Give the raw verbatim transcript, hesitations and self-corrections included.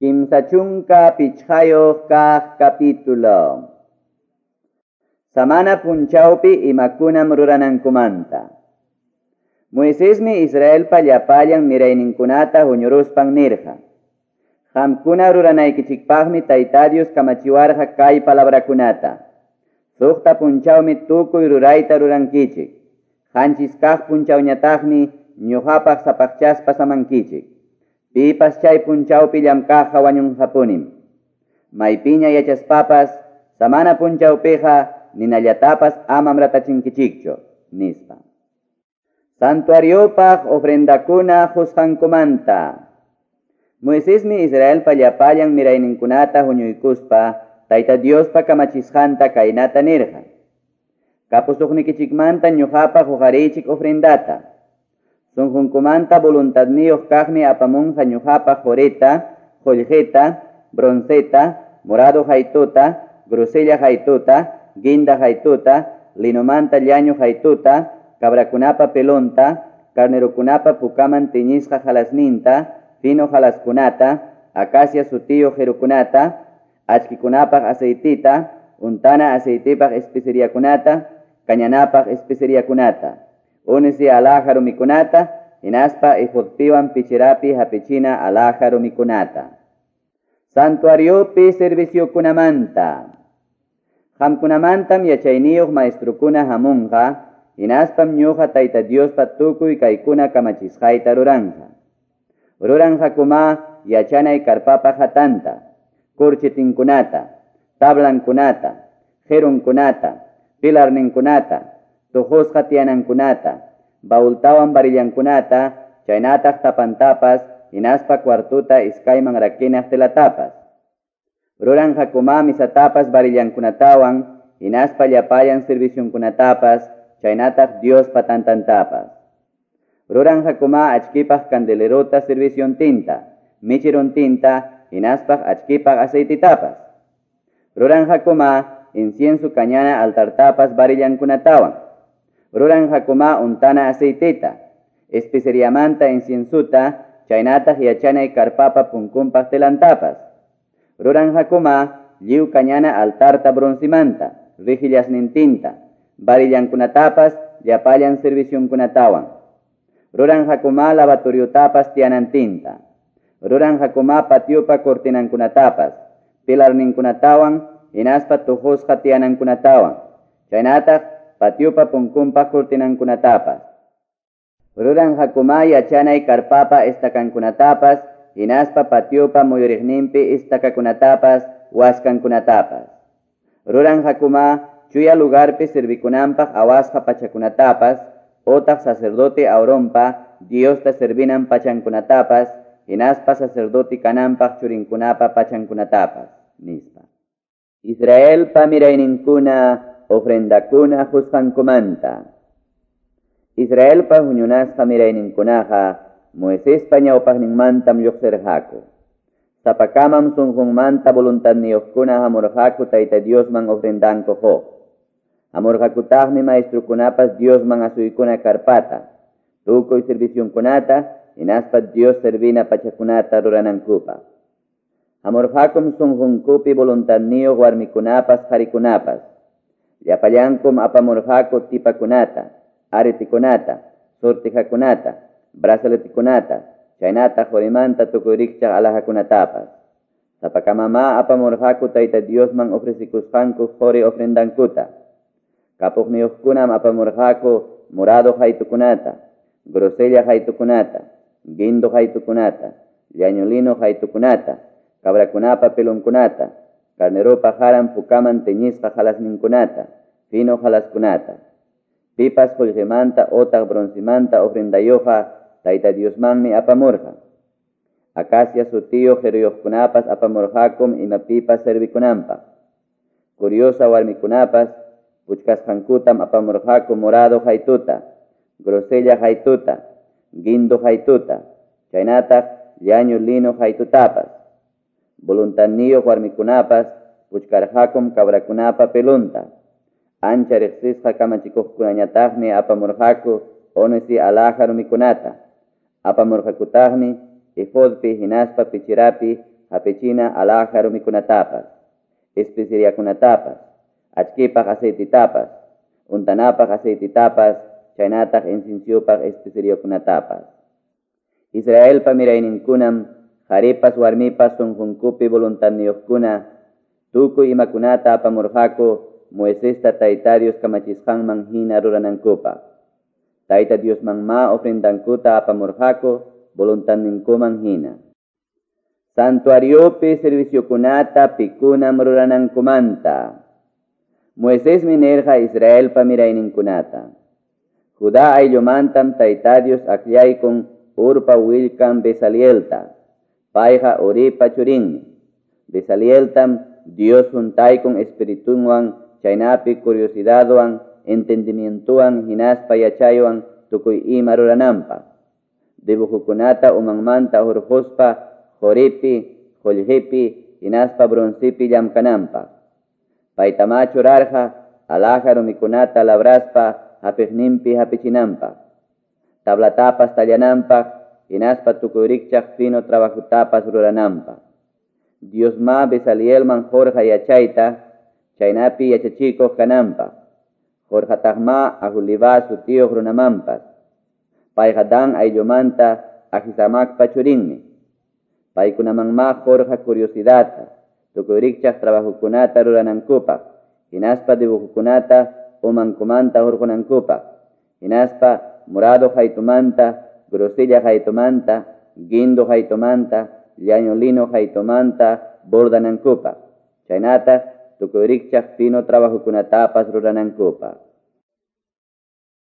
Kimsa chunka pichqayuq kaq capítulo. Samana punchawpi imakunam ruranankumanta. Moisesmi Israelpa llapallan mirayninkunata huñuruspan nirqa. Qamkuna ruranaykichikpaqmi Tayta Dios kamachiwarqa kay palabrakunata. Suqta punchawmi tukuy rurayta rurankichik. Qanchis kaq punchawñataqmi ñuqapaq sapaqchaspa samankichik. Pipas chay punchawpi llamkaqqa wañunqapunim. Maypiña yachaspapas samana punchawpiqa ninallatapas amam ratachinkichikchu, nispa. Santuariopaq ofrendakuna qusqankumanta. Moisesmi Israelpa llapallan mirayninkunata huñuykuspa Tayta Diospa kamachisqanta kaynata nirqa. Kapusuqnikichikmanta ñuqapaq huqariychik ofrendata. Sunqunkumanta voluntadniyuq kaqmi apamunqa ñuqapaq qurita, qullqita, bronceta, morado haytuta, grosella haytuta, guinda haytuta, linomanta llañu haytuta, cabrakunapa pelonta, carnerokunapa pukaman tiñisqa halasninta, fino halaskunata, acacia sutiyuq qirukunata, achkikunapaq aceitita, untana aceitipaq especeriakunata, kañanapaq especeriakunata. Ónice alhaja rumikunata, hinaspa efodpiwan picherapi hapichina alhaja rumikunata. Santuariopi serviciokunamanta. Qamkunamantam yachayniyuq maestrukuna hamunqa, hinaspam ñuqa Tayta Diospa tukuy kaykuna kamachisqayta ruranqa. Ruranqakuma yachanay karpapa hatanta, kurchitinkunata, tablankunata, qirunkunata, pilarninkunata, tuqusqa tiyanankunata, baultawan barillankunata, chaynataq tapantapas, hinaspa cuartuta iskayman rakinaq telatapas. Ruranqakuma misatapas barillankunatawan, hinaspa llapallan servicionkunatapas, chaynataq Diospa tantantapas. Ruranqakuma achkipaq candelerota serviciontinta, michirontinta, hinaspaq achkipaq aceititapas. Ruranqakuma incienso kañana altartapas barillankunatawan. Ruranqakuma untana aceitita, especeriamanta inciensuta, chaynataq yachanay karpapa punkunpaq telantapas. Ruranqakuma lliw kañana altarta broncimanta, rijillasnintinta, barillankunatapas, llapallan servicionkunatawan. Ruranqakuma lavatoriotapas tiyanantinta. Ruranqakuma patiopa cortinankunatapas, pilarninkunatawan, hinaspa tuqusqa tiyanankunatawan. Chaynataq patiopa punkunpaq cortinankunatapas. Ruranqakuma yachanay karpapa estakankunatapas, hinaspa patiopa muyuriqninpi estakakunatapas, waskankunatapas. Ruranqakuma chuya lugarpi servikunanpaq awasqa pachakunatapas, otaq sacerdote Aaronpa Diosta servinan pachankunatapas, hinaspa sacerdote kananpaq churinkunapa pachankunatapas, nispa. Israelpa mirayninkuna ofrendakuna qusqankumanta. Israelpa huñunasqa mirayninkunaqa Moisespa ñawpaqninmantam lluqsirqaku. Sapakamam sunqunmanta voluntadniyuqkuna hamurqaku Tayta Diosman ofrendanku quq. Hamurqakutaqmi maestrukunapas Diosman asuykuna karpata, tukuy servicionkunata, hinaspa Dios servina pachakunata ruranankupaq. Hamurqakum sunqunkupi voluntadniyuq warmikunapas qarikunapas. Llapallankum apamurqaku tipakunata, aretikunata, sortijakunata, brazaletikunata, chaynataq qurimanta tukuy rikchaq alhajakunatapas. Sapakamamá apamurqaku Tayta Diosman ofrecikusqanku quri ofrendankuta. Kapuqniyuqkunam apamurqaku morado haytukunata, grosella haytukunata, guindo haytukunata, llañu lino haytukunata, cabrakunapa pelonkunata, carneropa haran pukaman teñisqa halasninkunata, fino halaskunata. Pipas qullqimanta otaq broncimanta ofrendayuqqa Tayta Diosmanmi apamurqa. Acacia sutiyuq qiruyuqkunapas apamurqakum imapipas servikunanpaq. Curiosa warmikunapas puchkasqankutam apamurqaku morado haytuta, grosella haytuta, guindo haytuta, chaynataq llañu lino haytutapas. Voluntadniyuq warmikunapas puchkarqakum cabrakunapa pelunta. Ancha riqsisqa kamachikuqkunañataqmi apamurqaku ónice alhaja rumikunata. Apamurqakutaqmi efodpi hinaspa picherapi hapichina alhaja rumikunatapas, especeriakunatapas, achkipaq aceititapas, untanapaq aceititapas, chaynataq inciensopaq especeriokunatapas. Israelpa mirayninkunam qaripas warmipas sunqunkupi voluntadniyuqkuna tukuy imakunata apamurqaku Moisesta Tayta Dios kamachisqanman hina ruranankupaq. Tayta Diosmanmá ofrendankuta apamurqaku voluntadninkuman hina. Santuariopi serviciokunata pikunam ruranankumanta. Moisesmi nirqa Israelpa mirayninkunata. Judá ayllumantam Tayta Dios akllaykun Urpa willkan Bezalielta. Payqa Uripa churinmi. Bezalieltam Dios juntaykun espiritunwan chaynapi curiosidadwan, entendimientowan, hinaspa yachaywan tukuy ima rurananpaq. Dibujokunata umanmanta hurquspa quripi, qullqipi, hinaspa broncepi llamkananpaq. Paytamá churarqa alhaja rumikunata labraspa hapiqninpi hapichinanpaq. Tablatapas tallananpaq, hinaspa tukuy rikchaq fino trabajotapas rurananpaq. Diosmá Bezalielman qurqa yachayta, chaynapi yachachikuq kananpaq. Qurqataqmá Aholibá sutiyuq runamanpas. Payqa Dan ayllumanta Ahisamacpa churinmi. Paykunamanmá qurqa curiosidadta, tukuy rikchaq trabajokunata ruranankupaq, hinaspa dibujokunata umankumanta hurqunankupaq, hinaspa morado qaytumanta, grosella qaytumanta, guindo qaytumanta, llañu lino qaytumanta bordanankupaq, chaynataq tukuy rikchaq fino trabajokunatapas ruranankupaq.